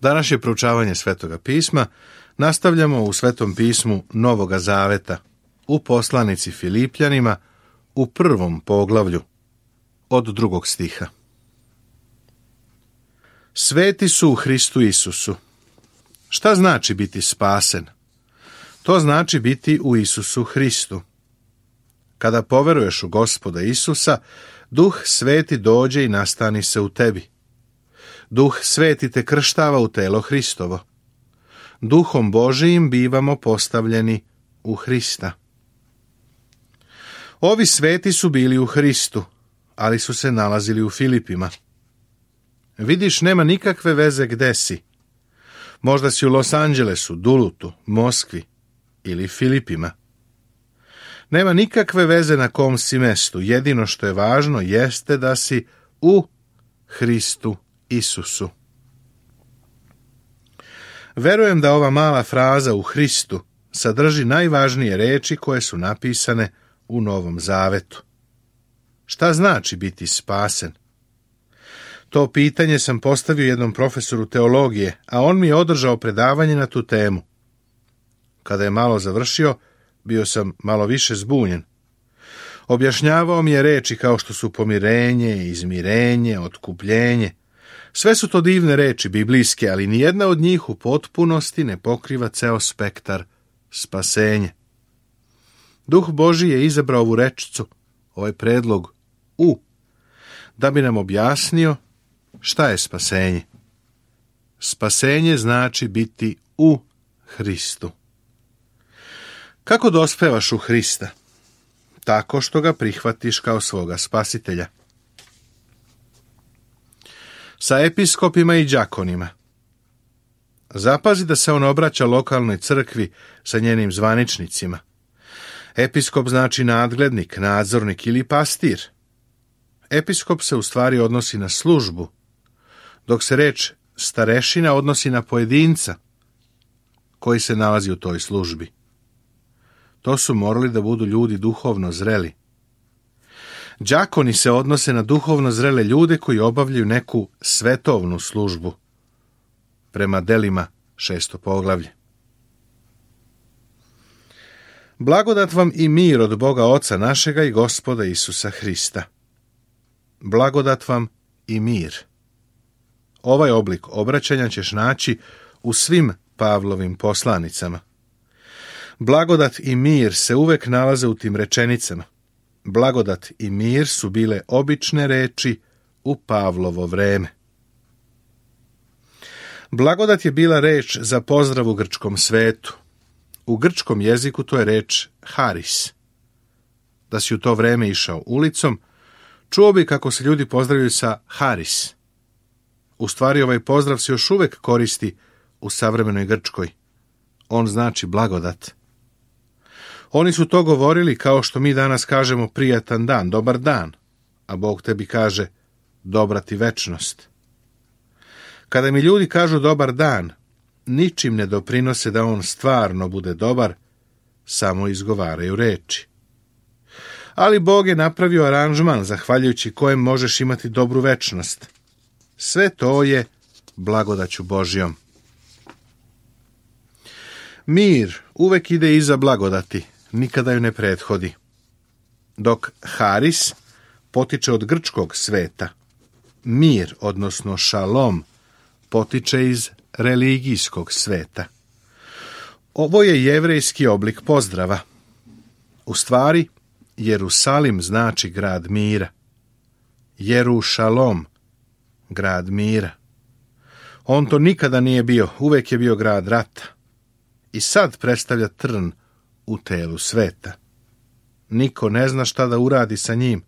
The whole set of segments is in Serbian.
Današnje proučavanje Svetoga pisma nastavljamo u Svetom pismu Novoga Zaveta, u poslanici Filipljanima, u 1. poglavlju, od 2. stiha. Sveti su u Hristu Isusu. Šta znači biti spasen? To znači biti u Isusu Hristu. Kada poveruješ u Gospoda Isusa, Duh Sveti dođe i nastani se u tebi. Duh Sveti te krštava u telo Hristovo. Duhom Božijim bivamo postavljeni u Hrista. Ovi sveti su bili u Hristu, ali su se nalazili u Filipima. Vidiš, nema nikakve veze gde si. Možda si u Los Angelesu, Dulutu, Moskvi ili Filipima. Nema nikakve veze na kom si mestu. Jedino što je važno jeste da si u Hristu Isusu. Verujem da ova mala fraza u Hristu sadrži najvažnije reči koje su napisane u Novom Zavetu. Šta znači biti spasen? To pitanje sam postavio jednom profesoru teologije, a on mi je održao predavanje na tu temu. Kada je malo završio, bio sam malo više zbunjen. Objašnjavao mi je reči kao što su pomirenje, izmirenje, otkupljenje. Sve su to divne reči biblijske, ali nijedna od njih u potpunosti ne pokriva ceo spektar spasenja. Duh Božji je izabrao ovu rečicu, ovaj predlog u, da bi nam objasnio šta je spasenje. Spasenje znači biti u Hristu. Kako dospevaš u Hrista? Tako što ga prihvatiš kao svoga spasitelja. Sa episkopima i đakonima. Zapazi da se on obraća lokalnoj crkvi sa njenim zvaničnicima. Episkop znači nadglednik, nadzornik ili pastir. Episkop se u stvari odnosi na službu, dok se reč starešina odnosi na pojedinca koji se nalazi u toj službi. To su morali da budu ljudi duhovno zreli. Đakoni se odnose na duhovno zrele ljude koji obavljaju neku svetovnu službu, prema delima 6. poglavlje. Blagodat vam i mir od Boga Oca našega i Gospoda Isusa Hrista. Blagodat vam i mir. Ovaj oblik obraćanja ćeš naći u svim Pavlovim poslanicama. Blagodat i mir se uvek nalaze u tim rečenicama. Blagodat i mir su bile obične reči u Pavlovo vreme. Blagodat je bila reč za pozdrav u grčkom svetu. U grčkom jeziku to je reč haris. Da si u to vreme išao ulicom, čuo bi kako se ljudi pozdravljaju sa haris. U stvari ovaj pozdrav se još uvek koristi u savremenoj Grčkoj. On znači blagodat. Oni su to govorili kao što mi danas kažemo prijatan dan, dobar dan, a Bog tebi kaže dobra ti večnost. Kada mi ljudi kažu dobar dan, ničim ne doprinose da on stvarno bude dobar, samo izgovaraju reči. Ali Bog je napravio aranžman zahvaljujući kojem možeš imati dobru večnost. Sve to je blagodaću Božjom. Mir uvek ide iza blagodati, nikada ju ne prethodi. Dok haris potiče od grčkog sveta, mir, odnosno šalom, potiče iz religijskog sveta. Ovo je jevrejski oblik pozdrava. U stvari, Jerusalim znači grad mira. Jerušalom, grad mira. On to nikada nije bio, uvek je bio grad rata. I sad predstavlja trn u telu sveta. Niko ne zna šta da uradi sa njim.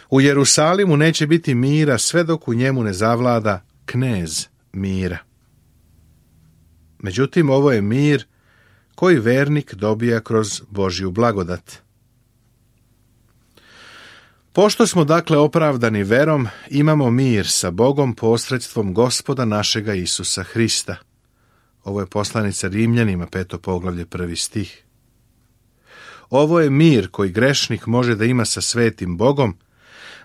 U Jerusalimu neće biti mira sve dok u njemu ne zavlada knez mira. Međutim, ovo je mir koji vernik dobija kroz Božju blagodat. Pošto smo dakle opravdani verom, imamo mir sa Bogom posredstvom Gospoda našega Isusa Hrista. Ovo je poslanica Rimljanima, 5. poglavlje, 1. stih. Ovo je mir koji grešnik može da ima sa svetim Bogom,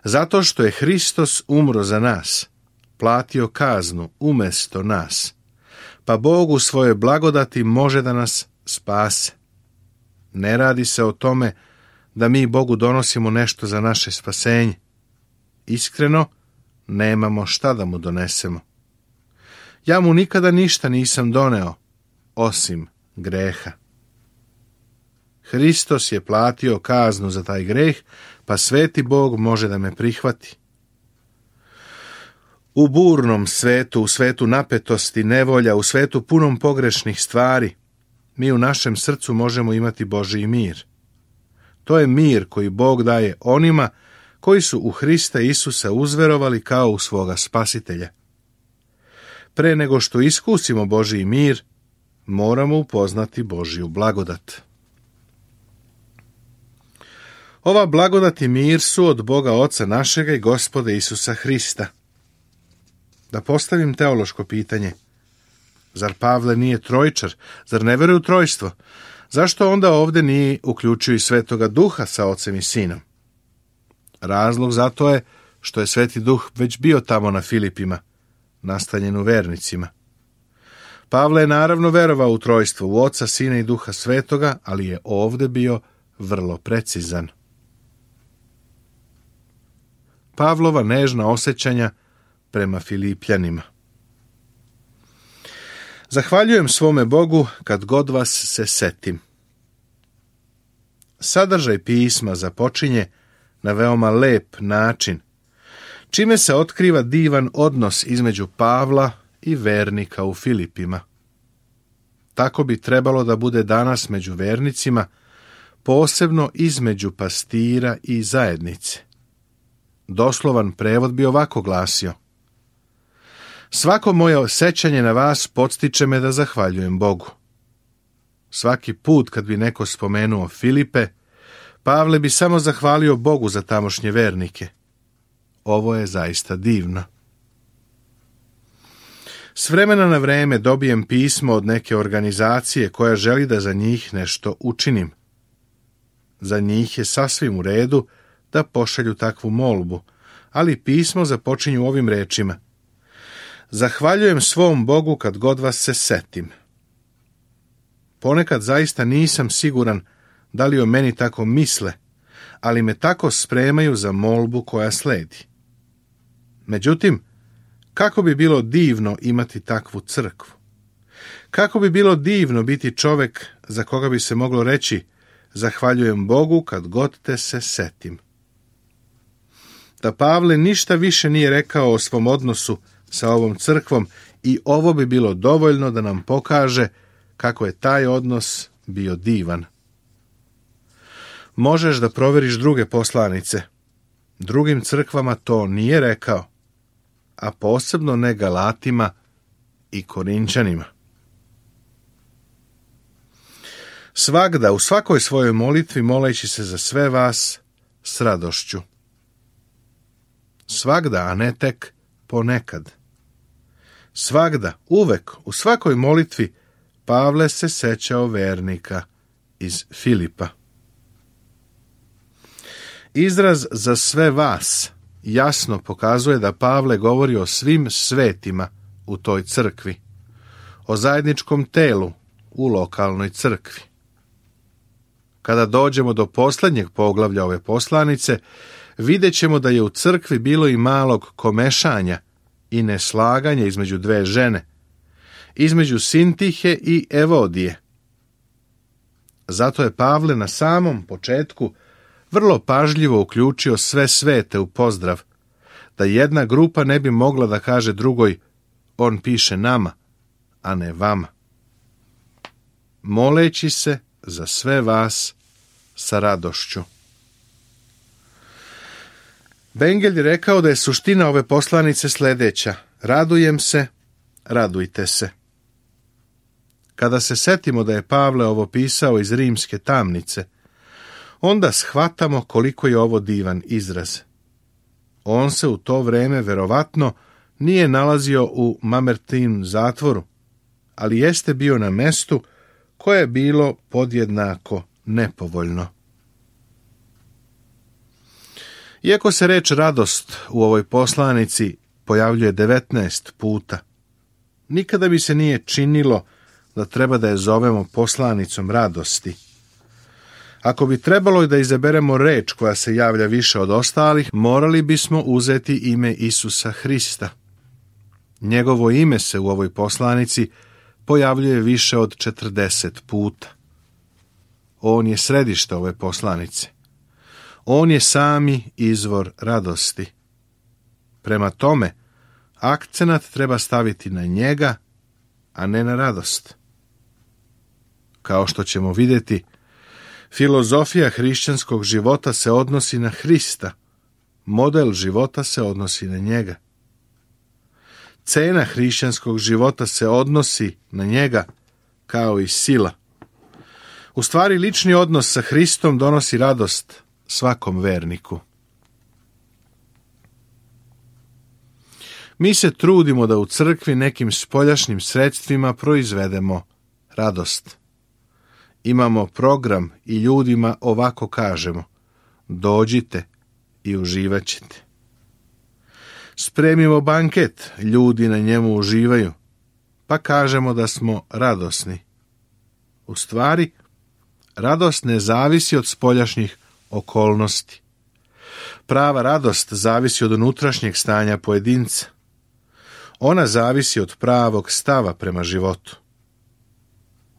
zato što je Hristos umro za nas, platio kaznu umjesto nas, pa Bog u svojoj blagodati može da nas spase. Ne radi se o tome da mi Bogu donosimo nešto za naše spasenje. Iskreno, nemamo šta da mu donesemo. Ja mu nikada ništa nisam doneo, osim greha. Hristos je platio kaznu za taj greh, pa sveti Bog može da me prihvati. U burnom svetu, u svetu napetosti, nevolja, u svetu punom pogrešnih stvari, mi u našem srcu možemo imati Božji mir. To je mir koji Bog daje onima koji su u Hrista Isusa uzverovali kao u svoga spasitelja. Pre nego što iskusimo Božji mir, moramo upoznati Božju blagodat. Ova blagodat i mir su od Boga Oca našega i Gospoda Isusa Hrista. Da postavim teološko pitanje. Zar Pavle nije trojčar? Zar ne veruje u trojstvo? Zašto onda ovdje nije uključio i Svetoga Duha sa Ocem i Sinom? Razlog za to je što je Sveti Duh već bio tamo na Filipima, nastanjen u vernicima. Pavle je naravno verovao u trojstvo, u Oca, Sina i Duha Svetoga, ali je ovdje bio vrlo precizan. Pavlova nežna osjećanja prema Filipljanima. Zahvaljujem svome Bogu kad god vas se setim. Sadržaj pisma započinje na veoma lep način, čime se otkriva divan odnos između Pavla i vernika u Filipima. Tako bi trebalo da bude danas među vernicima, posebno između pastira i zajednice. Doslovan prevod bi ovako glasio: svako moje sećanje na vas podstiče me da zahvaljujem Bogu. Svaki put kad bi neko spomenuo Filipe, Pavle bi samo zahvalio Bogu za tamošnje vernike. Ovo je zaista divno. S vremena na vreme dobijem pismo od neke organizacije koja želi da za njih nešto učinim. Za njih je sasvim u redu da pošalju takvu molbu, ali pismo započinje ovim rečima: zahvaljujem svom Bogu kad god vas se setim. Ponekad zaista nisam siguran da li o meni tako misle, ali me tako spremaju za molbu koja sledi. Međutim, kako bi bilo divno imati takvu crkvu? Kako bi bilo divno biti čovjek za koga bi se moglo reći: zahvaljujem Bogu kad god te se setim. Da Pavle ništa više nije rekao o svom odnosu sa ovom crkvom i ovo bi bilo dovoljno da nam pokaže kako je taj odnos bio divan. Možeš da proveriš druge poslanice. Drugim crkvama to nije rekao, a posebno ne Galatima i Korinčanima. Svagda, u svakoj svojoj molitvi, moleći se za sve vas s radošću. Svagda, a ne tek ponekad. Svagda, uvek, u svakoj molitvi, Pavle se sećao vernika iz Filipa. Izraz za sve vas jasno pokazuje da Pavle govori o svim svetima u toj crkvi, o zajedničkom telu u lokalnoj crkvi. Kada dođemo do posljednjeg poglavlja ove poslanice, vidjet ćemo da je u crkvi bilo i malog komešanja i neslaganja između dve žene, između Sintihe i Evodije. Zato je Pavle na samom početku vrlo pažljivo uključio sve svete u pozdrav, da jedna grupa ne bi mogla da kaže drugoj: on piše nama, a ne vama. Moleći se za sve vas sa radošću. Bengel je rekao da je suština ove poslanice sljedeća: radujem se, radujte se. Kada se setimo da je Pavle ovo pisao iz rimske tamnice, onda shvatamo koliko je ovo divan izraz. On se u to vreme verovatno nije nalazio u Mamertin zatvoru, ali jeste bio na mestu koje je bilo podjednako nepovoljno. Iako se reč radost u ovoj poslanici pojavljuje 19 puta. Nikada mi se nije činilo da treba da je zovemo poslanicom radosti. Ako bi trebalo i da izaberemo reč koja se javlja više od ostalih, morali bismo uzeti ime Isusa Hrista. Njegovo ime se u ovoj poslanici pojavljuje više od 40 puta. On je središte ove poslanice. On je sami izvor radosti. Prema tome, akcenat treba staviti na njega, a ne na radost. Kao što ćemo vidjeti, filozofija hrišćanskog života se odnosi na Hrista, model života se odnosi na njega. Cena hrišćanskog života se odnosi na njega kao i sila. U stvari, lični odnos sa Hristom donosi radost svakom verniku. Mi se trudimo da u crkvi nekim spoljašnjim sredstvima proizvedemo radost. Imamo program i ljudima ovako kažemo: dođite i uživat ćete. Spremimo banket, ljudi na njemu uživaju, pa kažemo da smo radosni. U stvari, radost ne zavisi od spoljašnjih okolnosti. Prava radost zavisi od unutrašnjeg stanja pojedinca. Ona zavisi od pravog stava prema životu.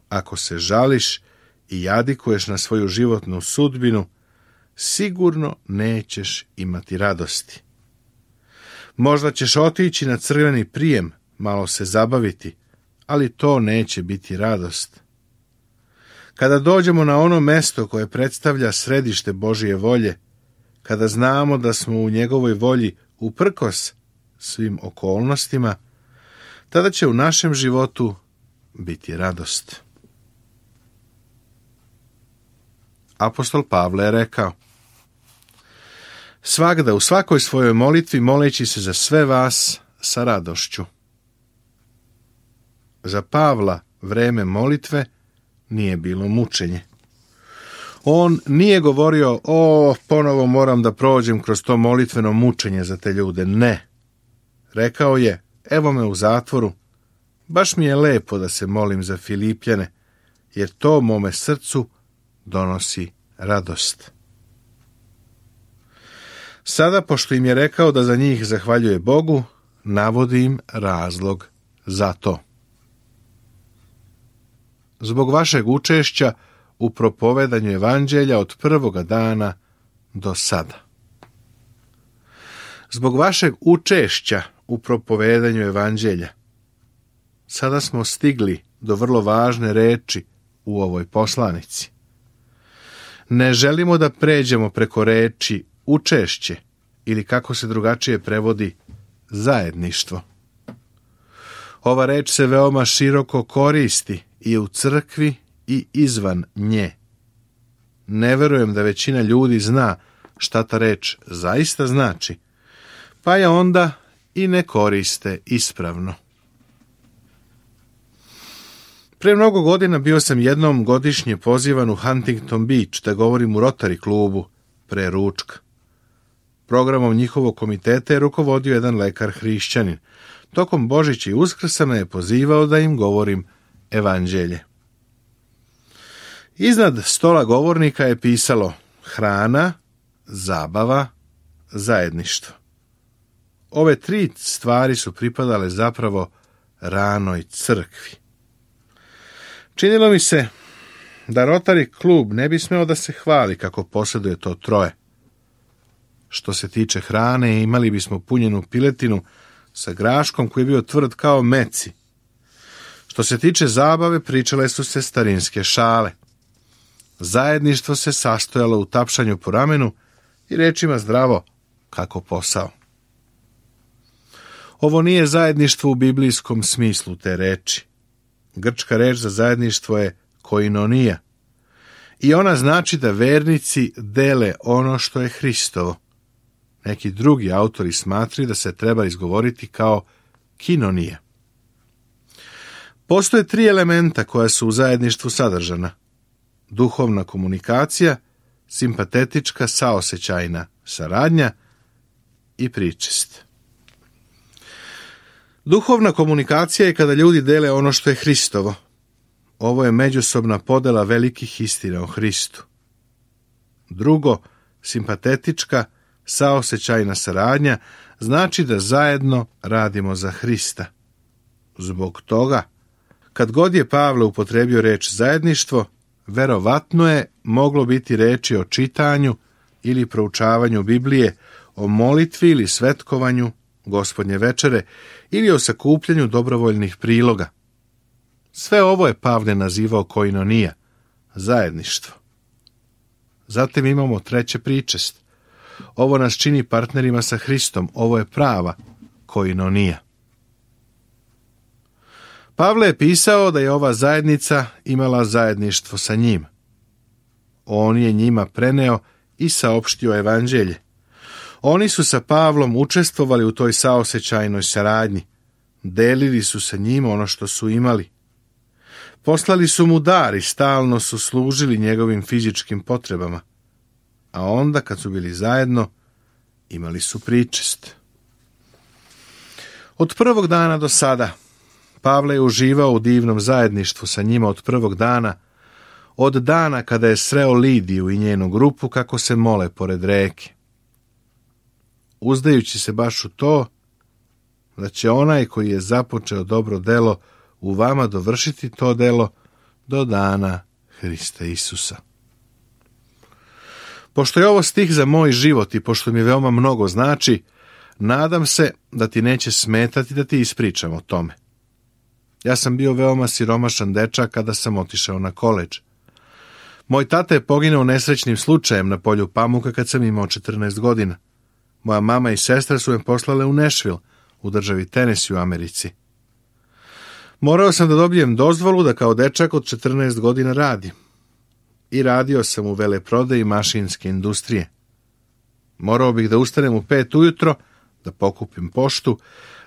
Ako se žališ i jadikuješ na svoju životnu sudbinu, sigurno nećeš imati radosti. Možda ćeš otići na crveni prijem, malo se zabaviti, ali to neće biti radost. Kada dođemo na ono mesto koje predstavlja središte Božje volje, kada znamo da smo u njegovoj volji uprkos svim okolnostima, tada će u našem životu biti radost. Apostol Pavle je rekao: svagda u svakoj svojoj molitvi moleći se za sve vas sa radošću. Za Pavla vreme molitve nije bilo mučenje. On nije govorio: ponovo moram da prođem kroz to molitveno mučenje za te ljude. Ne. Rekao je: evo me u zatvoru, baš mi je lepo da se molim za Filipljane, jer to mome srcu donosi radost. Sada, pošto im je rekao da za njih zahvaljuje Bogu, navodi im razlog za to. Zbog vašeg učešća u propovedanju evanđelja od prvoga dana do sada. Zbog vašeg učešća u propovedanju evanđelja. Sada smo stigli do vrlo važne reči u ovoj poslanici. Ne želimo da pređemo preko reči učešće, ili kako se drugačije prevodi, zajedništvo. Ova reč se veoma široko koristi i u crkvi i izvan nje. Ne verujem da većina ljudi zna šta ta reč zaista znači, pa je onda i ne koriste ispravno. Pre mnogo godina bio sam jednom godišnje pozivan u Huntington Beach da govorim u Rotary klubu pre ručka. Programom njihovog komiteta je rukovodio jedan lekar hrišćanin. Tokom Božića i Uskrsa me je pozivao da im govorim evanđelje. Iznad stola govornika je pisalo: hrana, zabava, zajedništvo. Ove tri stvari su pripadale zapravo ranoj crkvi. Činilo mi se da Rotary klub ne bi smeo da se hvali kako posjeduje to troje. Što se tiče hrane, imali bismo punjenu piletinu sa graškom koji je bio tvrd kao meci. Što se tiče zabave, pričale su se starinske šale. Zajedništvo se sastojalo u tapšanju po ramenu i rečima zdravo kako posao. Ovo nije zajedništvo u biblijskom smislu te reči. Grčka reč za zajedništvo je koinonija. I ona znači da vernici dele ono što je Hristovo. Neki drugi autori smatraju da se treba izgovoriti kao kinonija. Postoje tri elementa koja su u zajedništvu sadržana: duhovna komunikacija, simpatetička saosećajna saradnja i pričest. Duhovna komunikacija je kada ljudi dele ono što je Hristovo. Ovo je međusobna podela velikih istina o Hristu. Drugo, simpatetička, saosećajna saradnja znači da zajedno radimo za Hrista. Zbog toga, kad god je Pavle upotrebio reč zajedništvo, verovatno je moglo biti reči o čitanju ili proučavanju Biblije, o molitvi ili svetkovanju Gospodnje večere ili o sakupljanju dobrovoljnih priloga. Sve ovo je Pavle nazivao koinonija, zajedništvo. Zatim imamo treće pričest. Ovo nas čini partnerima sa Hristom, ovo je prava koinonija. Pavle je pisao da je ova zajednica imala zajedništvo sa njim. On je njima preneo i saopštio evanđelje. Oni su sa Pavlom učestvovali u toj saosećajnoj saradnji. Delili su sa njim ono što su imali. Poslali su mu dar i stalno su služili njegovim fizičkim potrebama. A onda, kad su bili zajedno, imali su pričest. Od prvog dana do sada, Pavle je uživao u divnom zajedništvu sa njima od prvog dana, od dana kada je sreo Lidiju i njenu grupu kako se mole pored reke. Uzdajući se baš u to, da će onaj koji je započeo dobro delo u vama dovršiti to delo do dana Hrista Isusa. Pošto je ovo stih za moj život i pošto mi veoma mnogo znači, nadam se da ti neće smetati da ti ispričam o tome. Ja sam bio veoma siromašan dečak kada sam otišao na koledž. Moj tata je poginuo nesrećnim slučajem na polju pamuka kad sam imao 14 godina. Moja mama i sestra su me poslale u Nashville, u državi Tennessee u Americi. Morao sam da dobijem dozvolu da kao dečak od 14 godina radim. I radio sam u veleprodaji mašinske industrije. Morao bih da ustanem u 5 ujutro, da pokupim poštu,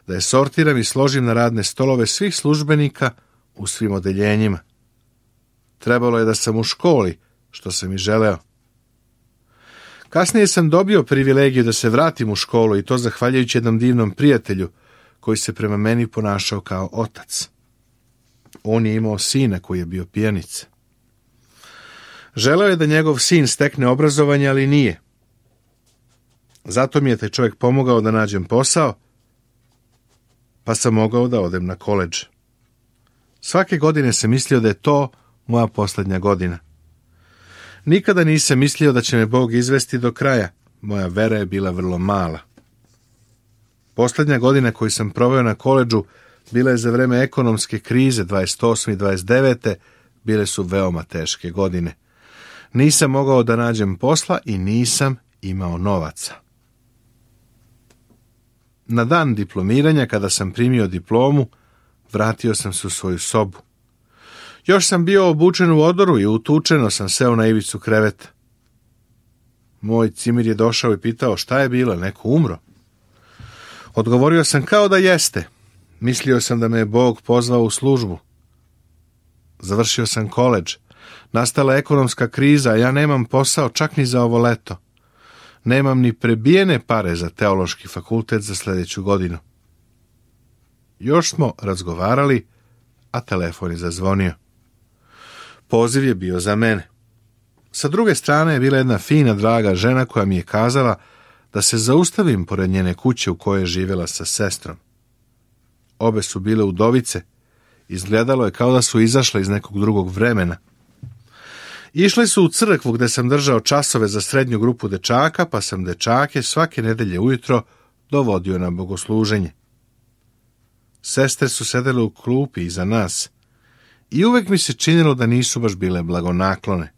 da je sortiram i složim na radne stolove svih službenika u svim odeljenjima. Trebalo je da sam u školi, što sam i želeo. Kasnije sam dobio privilegiju da se vratim u školu i to zahvaljujući jednom divnom prijatelju koji se prema meni ponašao kao otac. On je imao sina koji je bio pijanica. Želeo je da njegov sin stekne obrazovanje, ali nije. Zato mi je taj čovjek pomogao da nađem posao, pa sam mogao da odem na koledž. Svake godine sam mislio da je to moja posljednja godina. Nikada nisam mislio da će me Bog izvesti do kraja. Moja vera je bila vrlo mala. Posljednja godina koju sam proveo na koledžu bila je za vreme ekonomske krize 28. i 29. Bile su veoma teške godine. Nisam mogao da nađem posla i nisam imao novaca. Na dan diplomiranja, kada sam primio diplomu, vratio sam se u svoju sobu. Još sam bio obučen u odoru i utučeno sam seo na ivicu kreveta. Moj cimir je došao i pitao šta je bilo, neko umro. Odgovorio sam kao da jeste. Mislio sam da me je Bog pozvao u službu. Završio sam koledž. Nastala ekonomska kriza, a ja nemam posao čak ni za ovo leto. Nemam ni prebijene pare za teološki fakultet za sljedeću godinu. Još smo razgovarali, a telefon je zazvonio. Poziv je bio za mene. Sa druge strane je bila jedna fina, draga žena koja mi je kazala da se zaustavim pored njene kuće u kojoj je živjela sa sestrom. Obe su bile udovice. Izgledalo je kao da su izašle iz nekog drugog vremena. Išli su u crkvu gdje sam držao časove za srednju grupu dečaka, pa sam dečake svake nedelje ujutro dovodio na bogosluženje. Sestre su sedele u klupi iza nas i uvek mi se činilo da nisu baš bile blagonaklone.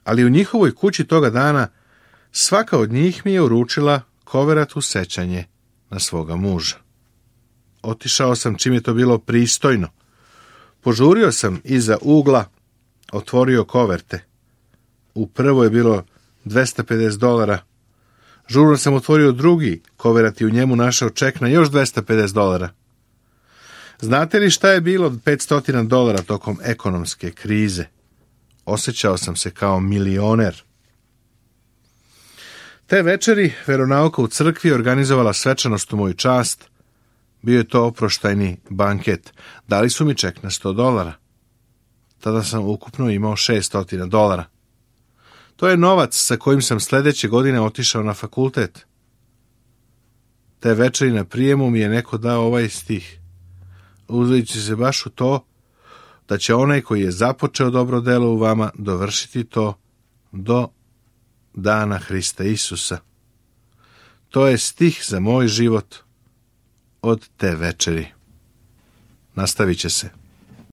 Ali u njihovoj kući toga dana svaka od njih mi je uručila koverat u sećanje na svoga muža. Otišao sam čim je to bilo pristojno. Požurio sam iza ugla, otvorio koverte. U prvoj je bilo $250. Žurno sam otvorio drugi koverat i u njemu našao ček na još $250. Znate li šta je bilo $500 tokom ekonomske krize? Osjećao sam se kao milioner. Te večeri veronauka u crkvi organizovala svečanost u moju čast. Bio je to oproštajni banket. Dali su mi ček na $100. Tada sam ukupno imao $600. To je novac sa kojim sam sljedeće godine otišao na fakultet. Te večeri na prijemu mi je neko dao ovaj stih, uzići se baš u to da će onaj koji je započeo dobro delo u vama dovršiti to do dana Hrista Isusa. To je stih za moj život od te večeri. Nastavit će se.